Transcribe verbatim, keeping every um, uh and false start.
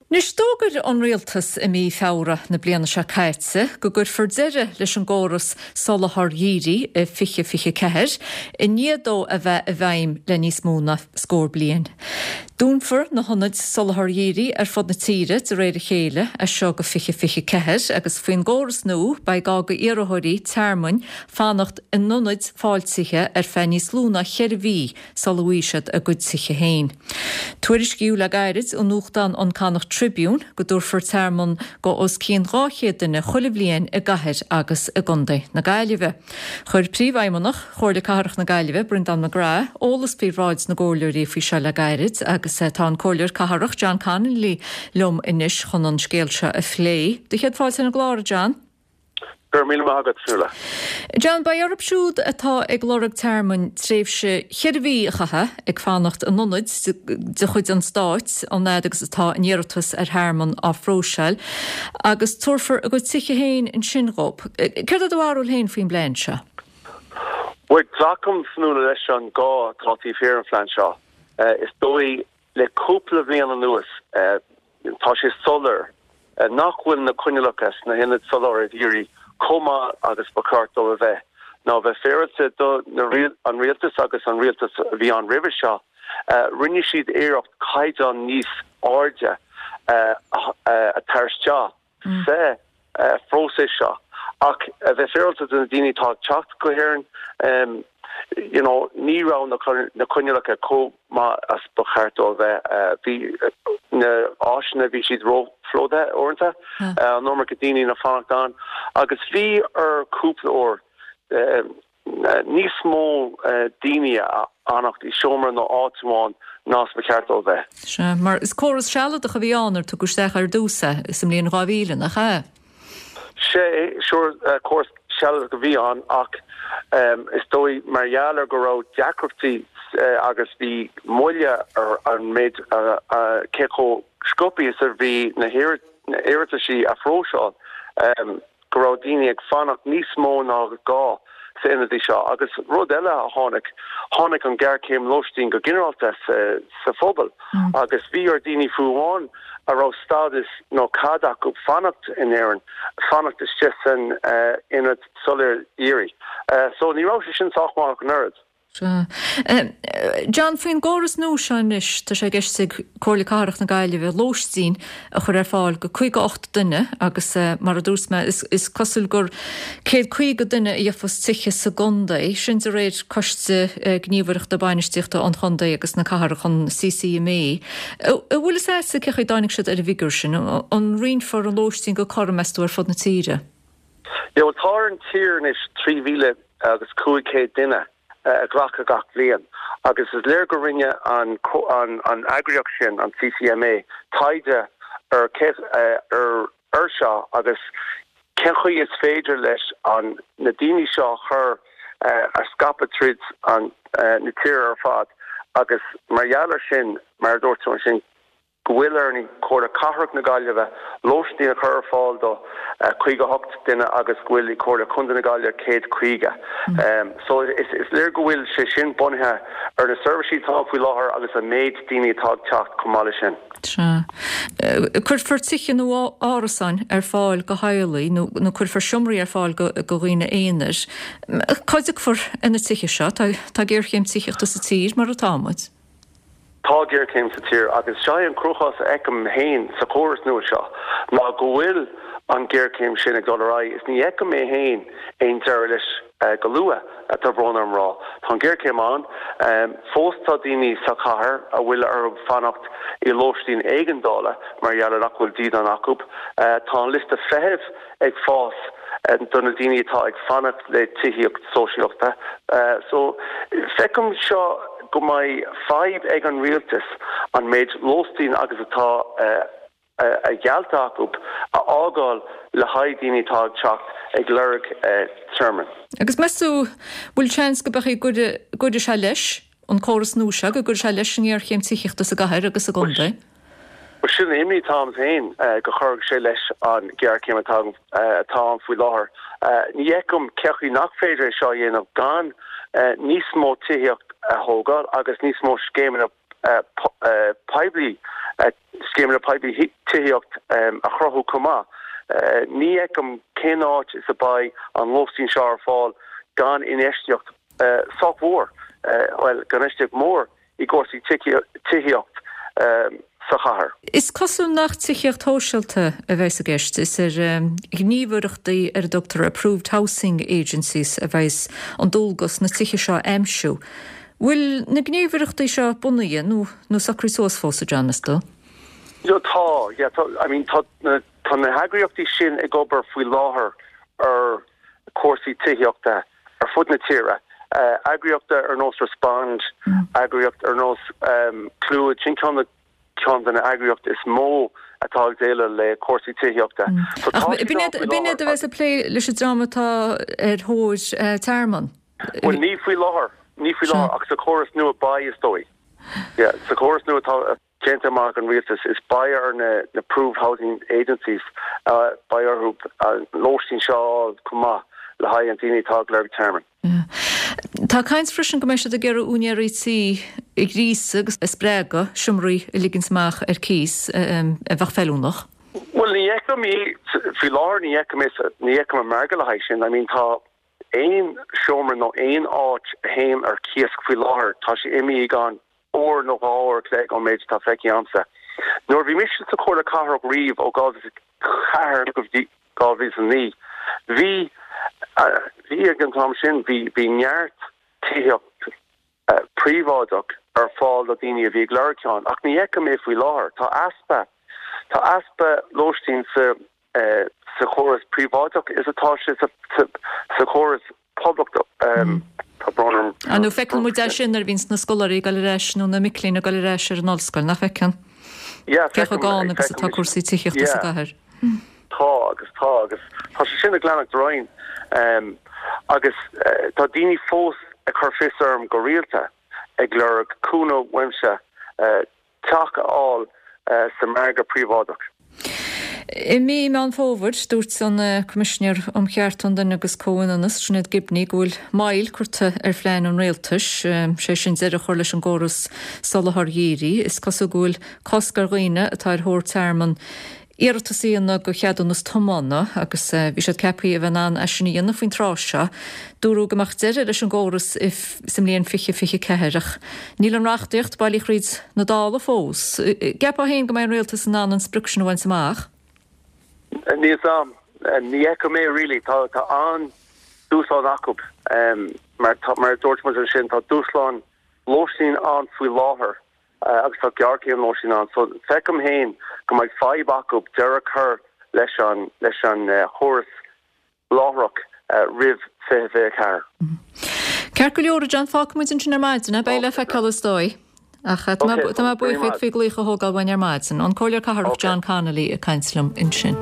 Anois d'fhógair an Rialtas i mí Feabhra na bliana seo caite go gcuirfear deireadh leis an gcóras soláthair dhírigh i fiche fiche ceathair, i ndiaidh dó a bheith i bhfeidhm le níos mó ná scór bliain. Dúnfar na hionaid soláthair dhírigh ar fud na tíre de réir a chéile as seo go fiche fiche ceathair agus faoin gcóras nua beidh gá go iarrthóirí tearmainn fanacht in ionaid fáiltithe ar feadh níos lú ná ceithre mhí sula bhfaighidh siad a gcuid tithe féin. Tuairiscíodh le gairid i nuachtán an Connacht Tribune go dtabharfar tearmann go os cionn dhá chéad duine chuile bhliain i gcathair agus i gcontae na Gaillimhe. Chuir Príomhfheidhmeannach Chomhairle Cathrach na Gaillimhe, Breandán McGrath, eolas faoi bhráid na gcomhairleoirí faoi seo le gairid agus tá an Comhairleoir Cathrach John Connolly liom anois chun an scéal seo a phlé. Do chéad fáilte ar an gclár, a John. Go raibh míle maith agat, Fionnuala. John, beidh orthu siúd atá ag lorg tearmainn tréimhse cheithre mhí a chaitheamh ag fanacht in ionaid de chuid an stáit an fhad agus atá a n-iarratas ar thearmann á phróiseáil agus tabharfar a gcuid tithe féin ansin dhóibh. Céard é do bharúil féin faoin bplean seo? Bhuel, glacaim, Fionnuala, leis an gá atá taobh thiar an phlean seo. Is dóigh le cúpla bhliain anuas tá sé soiléir nach bhfuil na coinníollacha sna hionaid soláthair dhírigh chomh maith agus ba cheart dóibh a bheith. Nó bheith féaráilte do an rialtas agus an rialtas a bhí ann roimhe seo, rinne siad iarracht caighdeán níos airde a chur isteach sa phróiseas seo. Ach a bheith féaráilte do na daoine atá ag teacht go hÉirinn, you know, ní raibh na coinníollacha chomh maith as ba cheart dóibh a bheith. Bhí na áiseanna, bhí siad róphlódaithe uaireanta, an iomarca daoine ag fanacht ann, agus bhí ar cúpla uair níos mó daoine a fhanacht i seomra nó áit amháin ná is ba cheart dóibh a bheith. Sea, mar is córas sealadach a bhí ann ar tugadh isteach ar dtús é sa mbliain dhá mhíle, nach ea? Sea, sure, córas sealadach a bhí ann ach is dóigh mar gheall ar go raibh deacrachtaí agus bhí moille ar an méid cé chomh sciobtha is a bhí na hiarrataisí a phróiseáil go raibh daoine ag fanacht níos mó ná gá sa ionadaí seo. Agus rud eile a tháinig, tháinig an ghéarchéim lóistín go ginearálta sa phobal agus bhí ar daoine fiú amháin a raibh stádas nó cead acu fanacht in Éirinn, fanacht istigh san ionad soláthair dhírigh. So ní raibh sé sin sách maith ach an oiread. Sea. John, faoin gcóras nua seo anois, tá sé i gceist ag Comhairle Cathrach na Gaillimhe lóistín a chur ar fáil go caoga ocht duine agus mar a dúirt mé, is cosúil gur céad caoga duine a gheofas tithe sa gcontae, sin de réir Coiste Gníomhaireachta Bainistíochta an Chontae agus na Cathrach, an C C M A. An bhfuil fhios agatsa cén chaoi a dtáinig siad ar an bhfigiúr sin? An roinnfear an lóistín go cothrom, meas tú, ar fud na tíre? Yeah, well, tá ar an tír anois trí mhíle agus cúig chéad duine a ghlacadh gach bliain agus is léir go rinne an an an eagraíocht sin, an C C M A, taighde ar ar ar seo agus cén chaoi is féidir leis an na daoine seo a chur a scaipeadh tríd an na tíre ar fad agus mar gheall ar sin, mar a dúirt tú ansin, go bhfuil ar an Chomhairle Cathrach na Gaillimhe lóistín a chur ar fáil do caoga a hocht duine agus go bhfuil i Comhairle Contae na Gaillimhe céad caoga. So is is léir go bhfuil sé sin bunaithe ar na seirbhísí atá faoi láthair agus an méid daoine atá ag teacht chomh maith leis sin. Sea. Cuirfear tithe nó árasáin ar fáil go theaghlaigh nó nó cuirfear seomraí ar fáil go go dhaoine aonair. Cá dtiocfar ar na tithe seo? Tá tá géarchéim tithíochta sa tír mar atá muid. Tá géarchéim sa tír agus seo é an cruachás a fheicim féin sa chóras nua seo ná go bhfuil an ghéarchéim sin ag dul ar aghaidh is ní fheicim mé féin aon deireadh leis go luath, tá brón orm rá. Tá an ghéarchéim ann. Fós tá daoine sa chathair a bhfuil orthu fanacht i lóistín éigeandála mar gheall ar nach bhfuil dídean acu. Tá an liosta feithimh ag fás do na daoine atá ag fanacht le tithíocht sóisialta. So feicim seo go mbeidh fadhb ag an rialtas an méid lóistín agus atá a gheallta acu a fhágáil le haghaidh daoine atá ag teacht ag lorg tearmainn. Agus meas tú bhfuil seans go beidh go gcuirfidh sé leis an córas nua seo, go gcuirfidh sé leis an ngéarchéim tithíochta sa gcathair agus sa gcontae? Bhuel, sin an imní atá agam féin, go gcuirfidh sé leis an ghéarchéim atá atá ann faoi láthair. Ní fheicim cén chaoi nach féidir é seo a dhéanamh gan níos mó tithíocht a thógáil agus níos mó scéimeanna poiblí Scéimeanna poiblí tithíocht a chruthú chomh maith. Ní fheicim cén áit is a beidh an lóistín seo ar fáil gan infheistíocht sách mhór, bhuel, gan infheistíocht mhór i gcúrsaí tithíocht sa chathair. Is cosúil nach tithíocht shóisialta a bheas i gceist, is ar ghníomhaireachtaí ar a dtugtar Approved Housing Agencies a bheas an dualgas na tithe seo a aimsiú. Bhfuil na gníomhaireachtaí seo bunaithe nó nó socraithe suas fós, a John, meas tú? Yeah, tá, yeah, tá, I mean, tá na, tá na heagraíochtaí sin ag obair faoi láthair ar cúrsaí tithíochta ar fud na tíre. Uh, eagraíocht ar nós Respond, mm. eagraíocht ar nós um, Clúid, sin ceann na ceann de na eagraíocht is mó atá ag déileáil le cúrsaí tithíochta. Mm. B'in iad a bheas ag plé leis an dream atá ar thóir uh, tearmann. Well, ní faoi láthair, ní faoi láthair ach sa chóras nua beidh is dóigh. Yeah, sa chóras nua atá déanta amach an rialtas is beidh ar na na approved housing agencies uh, beidh orthu uh, lóistín seo chomh maith le haghaidh an daoine atá ag lorg tearmann. Tá caint freisin go mbeidh siad ag iarraidh úinéirí tí a ghríosadh agus a spreagadh seomraí a ligint amach ar cíos a bheadh feiliúnach. Well ní fheicim faoi láthair ní fheicim ní fheicim an margadh le haghaidh sin, I mean tá aon seomra nó aon áit a théann ar cíos faoi láthair tá sé imithe gan uair nó dhá uair an chloig ón méid atá feicthe agamsa. Nuair bhí mise sa Chomhairle Cathrach riamh ó dhá ceathair go dtí dhá mhíle naoi. Bhí bhí ag an t-am sin bhí bhí neart tithíocht príobháideach ar fáil do daoine a bhí ag lorg ceann, ach ní fheicim é faoi láthair tá easpa tá easpa lóistín sa sa chóras príobháideach is atá sé sa sa chóras poiblí um, tá brón orm. Nó feiceann muid é sin nuair a bhíonn na scoláirí ag dul ar ais nó na mic léinn ag dul ar ais ar an ollscoil nach bhfeiceann? Cé chomh gann agus atá cúrsaí tithíochta sa gcathair. Tá agus tá agus tá sé sin ag leanacht orainn um, agus uh, tá daoine fós ag cur fios orm go rialta ag lorg cúnamh uaimse uh, teach a fháil uh, sa margadh príobháideach. I mí Meán Fómhair dúirt an Coimisinéir um Chearta an Duine agus Comhionannas Sinéad Gibney go bhfuil moill curtha ar phlean an rialtais, sé sin deireadh a chur leis an gcóras soláthair dhírigh. Is cosúil go bhfuil cosc ar dhaoine atá ar thóir tearmann iarratas a dhéanamh do cheadúnas tiomána agus bhí siad ceaptha a bheith in ann é sin a dhéanamh faoin tráth seo. Dúradh go mbeadh deireadh leis an gcóras sa mbliain fiche fiche ceathair ach níl an reachtaíocht bailí thríd na Dála fós. Ceapfá féin go mbeidh an rialtas in ann an sprioc sin a bhaint amach? Níl a fhios agam ní fheicim é really tá tá an dúshlán acu um, mar tá, mar dúirt muid sin tá dúshlán lóistín ann faoi láthair uh, agus tá géarchéim lóistín ann so feicim féin go mbeidh fadhb acu deireadh a chur leis an leis an uh, chóras láithreach uh, roimh fiche fiche ceathair. Ceart go leor John fágfaidh muid ansin ar maidin, beidh le feiceáil is dóigh. Ach tá mé buíoch faoi glaoch a thógáil uainn ar maidin. An Comhairleoir Cathrach John Connolly ag caint liom ansin.